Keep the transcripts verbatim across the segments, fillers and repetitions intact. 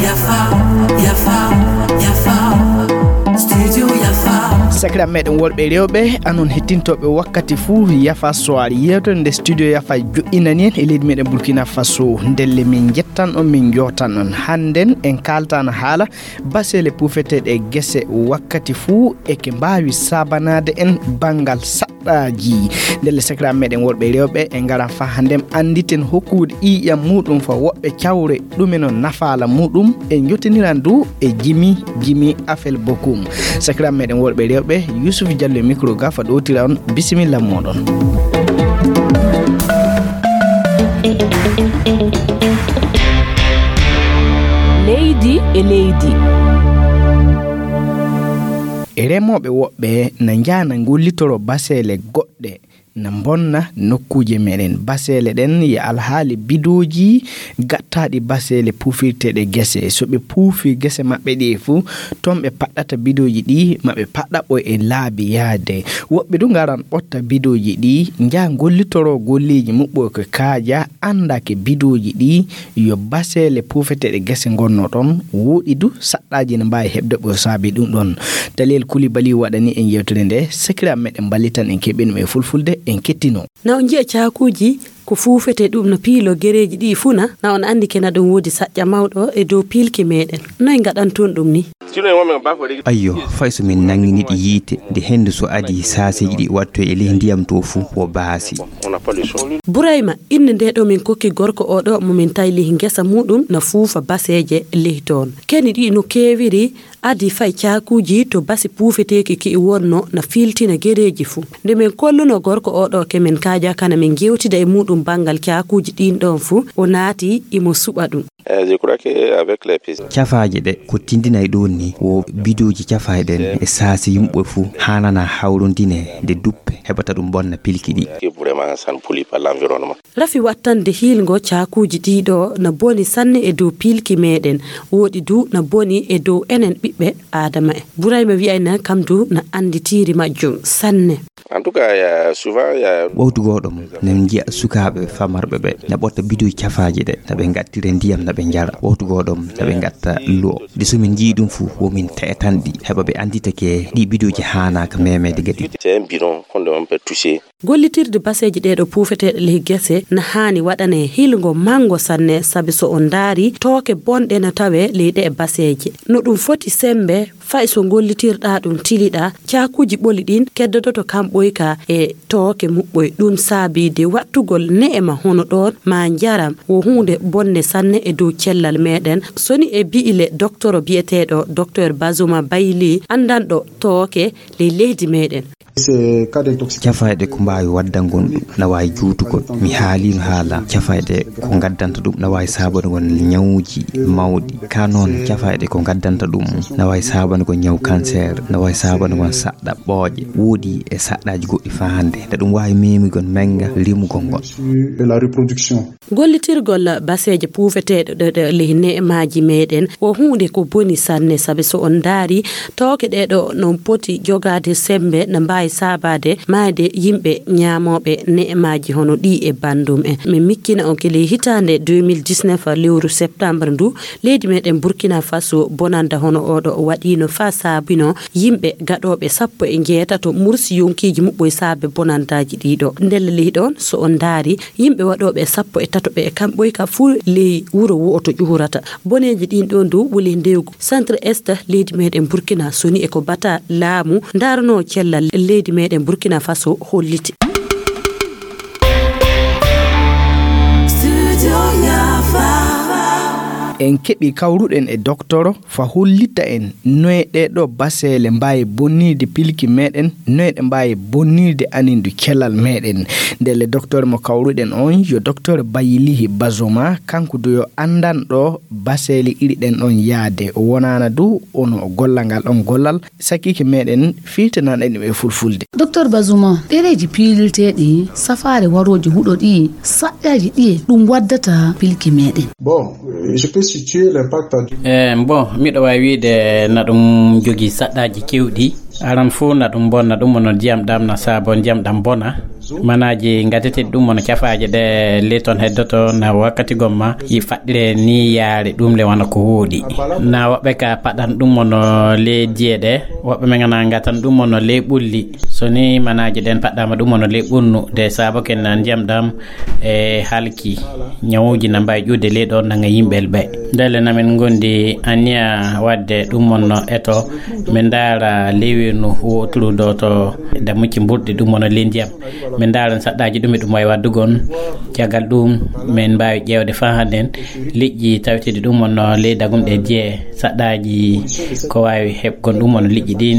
Yafa, yafa, yafa. Studio Yafa. Sakiraaɓe meɗen worɓe e rewɓe, anon hettintooɓe wakkati fuu Yafa Soir, yeewtere nde Studio Yafa joɗɗinani en e leydi meɗen Burkina Faso. Ndelle min njettan on, min njootan on. Hannden en kaaltano haala baseele puufeteeɗe e gese wakkati fuu e ke mbaawi saabanaade en banngal saɗɗaaji. Ndelle sakiraaɓe meɗen worɓe e rewɓe, en ngaran faa hannden annditen hokkude ƴiiƴam muuɗum faa woɓɓe cawre ɗume no nafaala muuɗum. En njottiniran du e Jimi, Jimi Afel Bokum. Sakiraaɓe meɗen worɓe e rewɓe, Yusuf Jallo e micro ga faa ɗowtira on. Bisimilla mooɗon. Leydi e leydi. E remooɓe woɓɓe na njaha na ngollitoro baseele goɗɗe na mbonna nokkuuje meɗen. Baseele ɗen e alhaali bidooji gattaaɗi baseele puufirteeɗe gese. So ɓe puufi gese maɓɓe ɗi fuu, ton ɓe paɗɗata bidooji ɗi, ma ɓe paɗɗa ɓo e laabi yaade. Woɓɓe du ngaran ɓotta bidooji ɗi, njaha ngollitoro golleeji muɓɓoy ko kaaja, annda ke bidooji ɗi, yo baseele puufeteeɗe gese ngonno ɗon, wooɗi du saɗɗaaji ne mbaawi heɓde ɓo saabi ɗum ɗon. Taliyel Kulibali waɗani en yewtere nde, sakiraaɓe meɗen mballitan en keɓen ɗum e fulfulde, en kettino. Na on nji'a caakuuji ko fuufetee ɗum no piilo gereeji ɗi fuu na, na on anndi ke na ɗum woodi saƴƴa mawɗo e dow piilki meɗen. Noy ngaɗanton ɗum ni? Ayyo, fay so min nanngini ɗi yiite, nde henndu so adii, saaseeji ɗi wattoy e ley ndiyam to fuu, wo baasi. Burayma, innde nde ɗo min kokki gorko o ɗo mo min tawi ley ngesa muuɗum na fuufa baseeje ley toon. Keni ɗi no keewiri, adii fay caakuuji to basi puufeteeki ki wonno na fiiltina gereeji fuu. Nde min kolluno gorko o ɗo ke min kaaja kana min ngeewtida e muuɗum banngal caakuuji ɗiin ɗoon fuu, o naati imo suɓa ɗum. Eh, je crois que avec les pistes. Cafaaje ɗe ko tindinay ɗoon ni, wo bidooji cafaaɗe ɗen e saasi yimɓe fuu haanana hawrondine nde duppe heɓata ɗum bonna pilki ɗi. Que vraiment, ça ne pollue pas l'environnement. Rafi wattande hiilngo caakuuji ɗii ɗo na boni sanne e dow piilki meɗen, woɗi du na boni e dow enen ɓiɓɓe Aadama en. Burayma wi'ayna kam du na annditiiri majjum sanne. En tout cas, il y a souvent, il y a Wawtu goo ɗom, ne nji'a sukaaɓe famarɓe ɓe, na ɓotta bidoy cafaaje ɗe, na ɓe ngattira ndiyam, na ɓe njara. Wawtu goo ɗom, na ɓe ngatta lu'o. Nde so min njii ɗum fu, wo min te'etan ɗi, heɓa ɓe anndita ke ɗi bidooji haanaaka memeede gadi. C'est un bidon qu'on ne peut pas toucher. Gollitirde baseeji ɗee ɗo puufeteeɗe ley gese na haani waɗanee hiilngo manngo sanne, sabi so on ndaari, tooke bonɗe na tawee ley ɗee baseeje. No ɗum foti semmbe, fay so ngollitirɗaa ɗum tiliɗaa, caakuuji ɓoli ɗin keddodoto kamɓoy ka e tooke muɓɓoy. Ɗum saabii de wattugol ne'ema hono ɗoon maa njaram wo huunde bonne sanne e dow cellal meɗen, soni e bi'ile doktoro bi'eteeɗo Doktor Bazuma Bayli, anndanɗo tooke ley leydi meɗen. Cafayɗe ko mbaawi waddangol ɗum, na waawi juutugol. Mi haaliino haala cafayɗe ko ngaddanta ɗum, na waawi saabunagol ñawuuji mawɗi. Ka noon, cafayɗe ko ngaddanta ɗum, na waawi saabunagol ñaw kanseer, na waawi saabunagol saɗɗa ɓooƴe. Woodi e saɗɗaaji goɗɗi faa hannde, na ɗum waawi memigol mennga rimugol ngol. Gollitirgol baseeje puufeteeɗe ɗe, ɗe ley ne'emaaji meɗen ko huunde ko boni sanne, sabi so on ndaari, tooke ɗee ɗo no poti jogaade semmbe, na mbaawi saabaade maayde yimɓe ñaamooɓe ne'emaaji hono ɗii e banndum en. Min miccina on ke ley hitaande deux mille dix-neuf, lewru septembre ndu, leydi meɗen Burkina Faso, bonannda hono oo ɗo waɗiino faa saabino yimɓe gaɗooɓe sappo e njeetato mursi yonkiiji muɓɓoy saabe bonanndaaji ɗii ɗo. Ndelle ley ɗoon, so on ndaari, yimɓe waɗooɓe sappo e tato ɓe e kamɓoy ka fuu ley wuro wo'oto ƴuurata. Boneeji ɗiin ɗoon dow wuli ndewgu. Centre Est leydi meɗen Burkina soni e ko bata laamu ndaarnoo cellal leydi meɗen Burkina Faso holliti. En keɓi kawruɗen e doktoro fa hollita en noye ɗee ɗoo baseele mbaawi bonnirde pilki meɗen, noye ɗe mbaawi bonnirde anindu cellal meɗen. Ndelle doktoro mo kawruɗen on yo doktoro Bayilihi Bazoma, kanko du yo anndanɗo baseele iri ɗen ɗon yaade. O wonaana du ono golla ngal on gollal, sakiike meɗen firtinanɗen ɗum e fulfulde. Docteur Bazuma, ɗereeji piilirteeɗi, safaare warooji huɗo ɗi, saƴƴaaji ɗiye ɗum waddata pilki meɗen? Bon, euh, je peux situer l'impact du Eh, bon, miɗo waawi wiide na ɗum jogii saɗɗaaji keewɗi. Aran fuu na ɗum bonna, ɗum wonno ndiyam ɗam na saabo ndiyam ɗam bona. Manaaji ngateteeɗi ɗum wonno cafaaje ɗe le ton heddoto na wakkati gomma yi faɗɗire ni yaare ɗum le wano ko wooɗi. Na woɓɓe ka paɗan ɗum wonno le diye ɗe, woɓɓe men ngana ngatan ɗum wonno le ɓulli. So ni manaaji ɗen paɗɗama ɗum wonno le ɓunnu, de saabo ken na ndiyam ɗam e halki. Ñawuuji na mbaawi ƴuude ley ɗo nanga yimɓe ɓe. Ndelle na min ngondi aniya waɗde ɗum wonno eto, min ndaara lewenu woturu ɗo to damucci mburɗi ɗum wonno ley ndiyam. Min ndaara saɗɗaaji ɗum e ɗum wawi waɗdugon. Caggal ɗum, min mbaawi ƴeewde faa hannden liƴƴi taweteeɗi ɗum wonno ley dagumɗe jee, saɗɗaaji ko waawi heɓgon ɗum wonno liƴƴi ɗin.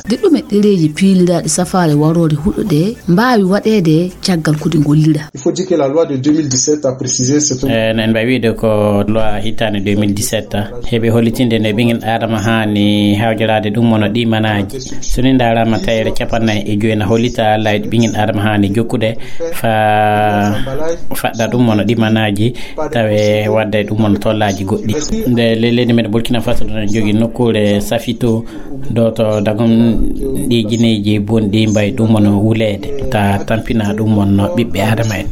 De ɗume ɗereeji piiliraaɗi safaare waroore huɗo ɗe mbaawi waɗeede caggal ko ɗi ngollira? Il faut dire que la loi de deux mille dix-sept a précisé ce phénomène. Eh, no en mbaawi wiide ko loi hitaande deux mille dix-sept heɓi hollitinde no ɓingel Adama haani hawjoraade ɗum wonno ɗi manaaji. So ni ndaaraama tayre capannay e joy na hollita laawi ɗi ɓingel Adama haani jokkude fa faɗɗa ɗum wonno ɗi manaaji tawe wadda e ɗum wonno tollaaji goɗɗi. Nde le-, leydi men Burkina Faso ɗon en jogi nokkuure Safito ɗo to dagum ɗi jineeji bonɗi mbayi ɗum wonno wuleede ta tampina ɗum wonno ɓiɓɓe Adama en.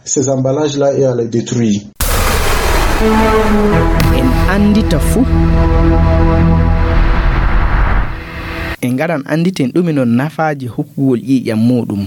Ces emballages-là et à les détruire. En anndita fuu. En ngaran annditen ɗume non nafaaji hokkugol ƴiiƴam muuɗum.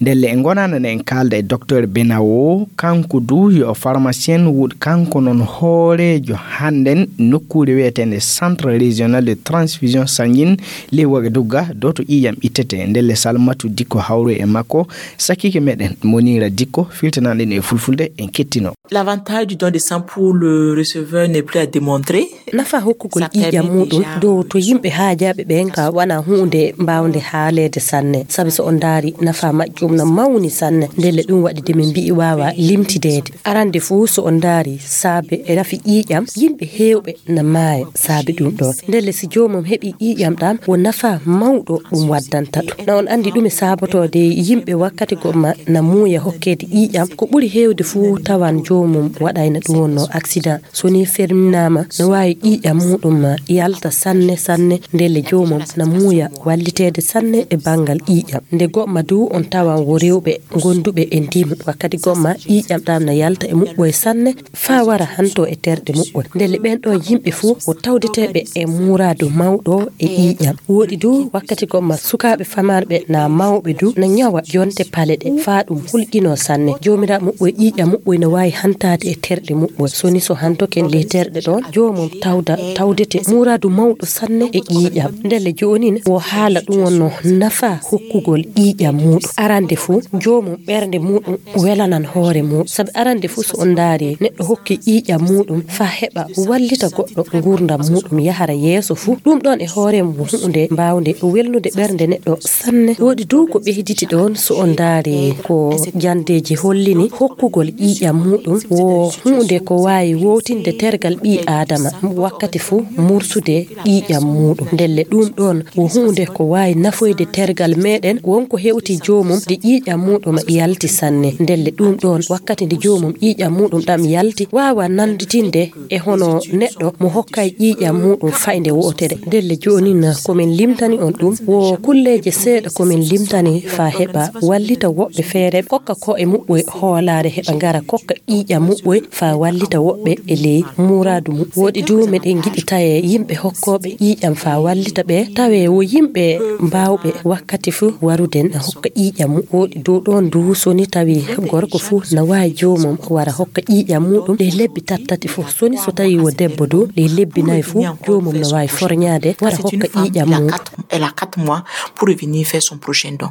Ndelle en ngonana ne en kaalda e docteur Benawo, kanko du yo pharmacien, woɗi kanko non hooreejo hannden nokkuure wi'eteende Centre Régional de Transfusion Sanguine ley Ouagadougou, ɗo to ƴiiƴam ittete. Ndelle Salmatu Dikko hawru e makko, sakiike meɗen Monira Dikko, filtanan ɗen e fulfulde, en kettino. L'avantage du don de sang pour le receveur n'est plus à démontrer. Nafa hokkugol ƴiiƴam muuɗum dow to yimɓe haajaaɓe ɓen ka wona huunde mbaawnde haaleede sanne. Sabi so on ndaari nafa majjum na mawni sanne. Ndelle ɗum waɗi de min mbi'i waawa limtideede. Arande fuu so on ndaari saabe e rafi ƴiiƴam, yimɓe heewɓe na maaya saabe ɗum ɗon. Ndelle si joomum heɓi ƴiiƴam ɗam, wo nafa mawɗo ɗum waddanta ɗum. Na on anndi ɗume saabotoode yimɓe wakkati gomma na muuya hokkeede ƴiiƴam? Ko ɓuri heewde fuu tawan joomum waɗayna ɗum wonno accident. So ni ferminaama, no waawi ƴiiƴam muuɗum yalta sanne sanne, ndelle joomum na muuya walliteede sanne e banngal ƴiiƴam. Nde gomma du on tawan wo rewɓe gonduɓe e ndimu. Wakkati gomma ƴiiƴam ɗam na yalta e muɓɓoye sanne, faa wara hanto e terɗe muɓɓoye. Ndelle ɓen ɗon yimɓe fuu wo tawdeteeɓe e muuraadu mawɗo e ƴiiƴam. Wooɗi du wakkati gomma sukaaɓe famarɓe na mawɓe du na ñawa jonte pale ɗe, faa ɗum hulƴinoo sanne. Joomiraaɓe muɓɓoye ƴiiƴam muɓɓoye na waawi hantaade e terɗe muɓɓoye. So ni so hantoken ley terɗe ɗon, joomum tawda, tawdete muuraadu mawɗo sanne e ƴiiƴam. Ndelle joonin wo haala ɗum wonno nafa hokkugol ƴiiƴam muuɗum. Arande fuu, joomum ɓernde muuɗum welanan hoore mum. Sabi arande fuu so on ndaari neɗɗo hokki ƴiiƴam muuɗum faa heɓa wallita goɗɗo ngurdam muuɗum yahara yeeso fuu, ɗum ɗon e hoore mum huunde mbaawnde welnude ɓernde neɗɗo sanne. Wooɗi du ko ɓeyditi ɗon so on ndaari ko jandeeji hollini hokkugol ƴiiƴam muuɗum wo huunde ko waawi wowtinde tergal ɓii Aadama wakkati fuu mursude ƴiiƴam muuɗum. Ndelle ɗum ɗon wo huunde ko waawi nafoyde tergal meɗen wonko hewti joomum nde ƴiiƴam muuɗum yalti sanne. Ndelle ɗum ɗon wakkati nde joomum ƴiiƴam muuɗum ɗam yalti waawa nannditinde e hono neɗɗo mo hokkay ƴiiƴam muuɗum fayde wootere. Ndelle joonin ko min limtani on ɗum wo kulleeje seeɗa ko min limtani faa heɓa wallita woɓɓe feere hokka ko e muɓɓoy hoolaare heɓa ngara kokka ƴiiƴam muɓɓoy faa wallita woɓɓe e ley muuraadu mum. Wooɗi du meɗen ngiɗi tawe yimɓe hokkooɓe ƴiiƴam faa wallita ɓe, tawe wo yimɓe mbaawɓe wakkati fuu warude na hokka ƴiiƴam mum. Wooɗi dow ɗoon du so ni tawi gorko fuu na waawi joomum wara hokka ƴiiƴam muuɗum ɗe lebbi tattati fuu. So ni so tawi wo debbo du ɗe lebbi nayi fuu joomum na waawi forñaade wara hokka ƴiiƴam mum. Elle a quatre mois pour revenir faire son prochain don.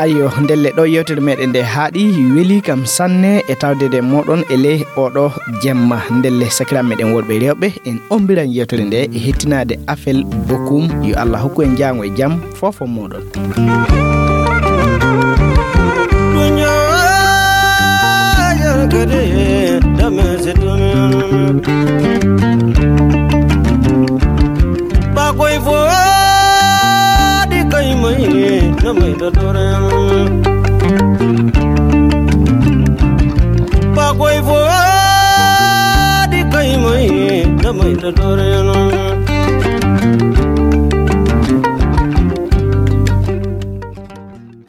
Ayyo, ndelle ɗo yewtere meɗen nde haaɗi, weli kam sanne e tawdede moɗon e ley oɗo jemma. Ndelle sakiraaɓe meɗen worɓe e rewɓe, en ombiran yewtere nde e hettinaade Afel Bokum. Yo Allah hokku en jaango e jam, fofo moɗon. Bakoy fo di kay mai na mai da doran. Bakoy fo di kay mai na mai Dore no